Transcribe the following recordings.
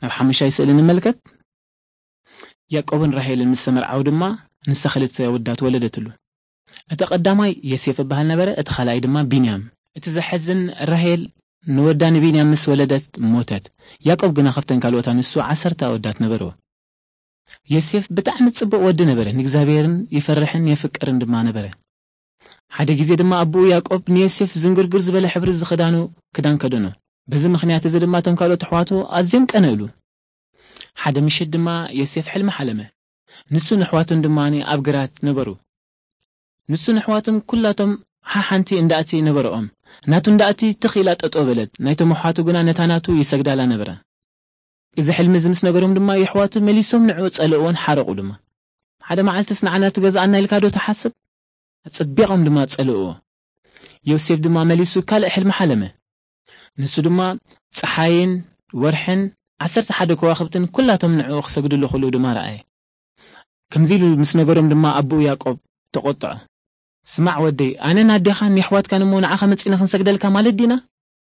ናብ ሓሙሻይ ስእሊ ንመልከት። ያዕቆብን ራሄልን ምስ ተመርዓዉ ድማ ንሳ ክልተ ኣወዳት ወለደትሉ። እቲ ቀዳማይ ዮሴፍ እበሃል ነበረ፣ እቲ ካልኣይ ድማ ቢንያም። እቲ ዘሐዝን፣ ራሄል ንወዳ ንቢንያም ምስ ወለደት ሞተት። ያዕቆብ ግና ካብተን ካልኦት ኣንስቱ ዓሰርተ ኣወዳት ነበርዎ። ዮሴፍ ብጣዕሚ ጽቡቕ ወዲ ነበረ፣ ንእግዚኣብሔርን ይፈርሕን የፍቅርን ድማ ነበረ። ሓደ ግዜ ድማ ኣቦኡ ያዕቆብ ንዮሴፍ ዝንግርግር ዝበለ ሕብሪ ዝኽዳኑ ክዳን ከደኖ። በዚ ምኽንያት እዚ ድማ እቶም ካልኦት ኣሕዋቱ ኣዝዮም ቀነእሉ። ሓደ ምሽት ድማ ዮሴፍ ሕልሚ ሓለመ። ንሱን ኣሕዋቱን ድማ ኣብ ግራት ነበሩ። ንሱን ኣሕዋቱን ኩላቶም ሓሓንቲ እንዳእቲ ነበረኦም። ናቱ እንዳእቲ ትኽ ኢላ ጠጠው በለት። ናይቶም ኣሕዋቱ ግና ነታ ናቱ ይሰግዳላ ነበራ። እዚ ሕልሚ እዚ ምስ ነገሮም ድማ የሕዋቱ መሊሶም ንዕኡ ጸልእዎን ሓረቑ ድማ። ሓደ መዓልትስ ንዓና ትገዝኣና ኢልካ ዶ ትሓስብ? ኣጸቢቖም ድማ ጸልእዎ። ዮሴፍ ድማ መሊሱ ካልእ ሕልሚ ሓለመ። ንሱ ድማ ጸሓይን ወርሕን ዓሰርተ ሓደ ከዋኽብትን ኩላቶም ንዕኡ ክሰግድሉ ከለዉ ድማ ረኣየ። ከምዚ ኢሉ ምስ ነገሮም ድማ ኣቦኡ ያዕቆብ ተቖጥዖ። ስማዕ ወደይ፣ ኣነን ኣዴኻን የሕዋትካን እሞ ንዓኻ መጺእና ክንሰግደልካ ማለት ዲና?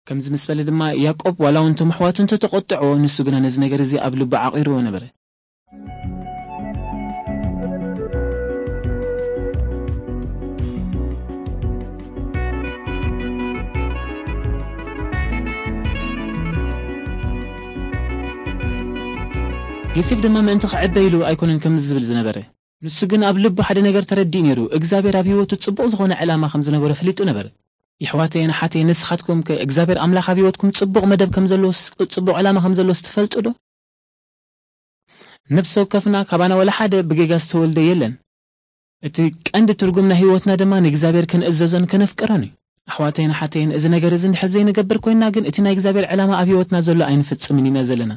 ከምዚ ምስ በለ ድማ ያዕቆብ ዋላ እውን እቶም ኣሕዋቱ እንተተቖጥዕዎ፣ ንሱ ግና ነዚ ነገር እዚ ኣብ ልቡ ዓቒርዎ ነበረ። ዮሴፍ ድማ ምእንቲ ክዕበ ኢሉ ኣይኮነን ከምዚ ዝብል ዝነበረ። ንሱ ግን ኣብ ልቡ ሓደ ነገር ተረዲኡ ነይሩ። እግዚኣብሔር ኣብ ህይወቱ ጽቡቕ ዝኾነ ዕላማ ከም ዝነበሮ ፈሊጡ ነበረ። የሕዋተይን ኣሓተይን፣ ንስኻትኩም ከ እግዚኣብሔር ኣምላኽ ኣብ ህይወትኩም ጽቡቕ መደብ ከም ዘለዎ፣ ጽቡቕ ዕላማ ከም ዘለዎስ ትፈልጡ ዶ? ነፍሲ ወከፍና ካባና ወላ ሓደ ብጌጋ ዝተወልደ የለን። እቲ ቀንዲ ትርጉም ናይ ህይወትና ድማ ንእግዚኣብሔር ክንእዘዞን ከነፍቅሮን እዩ። ኣሕዋተይን ኣሓተይን፣ እዚ ነገር እዚ እንድሕር ዘይንገብር ኮይንና ግን፣ እቲ ናይ እግዚኣብሔር ዕላማ ኣብ ህይወትና ዘሎ ኣይንፍጽምን ኢና ዘለና።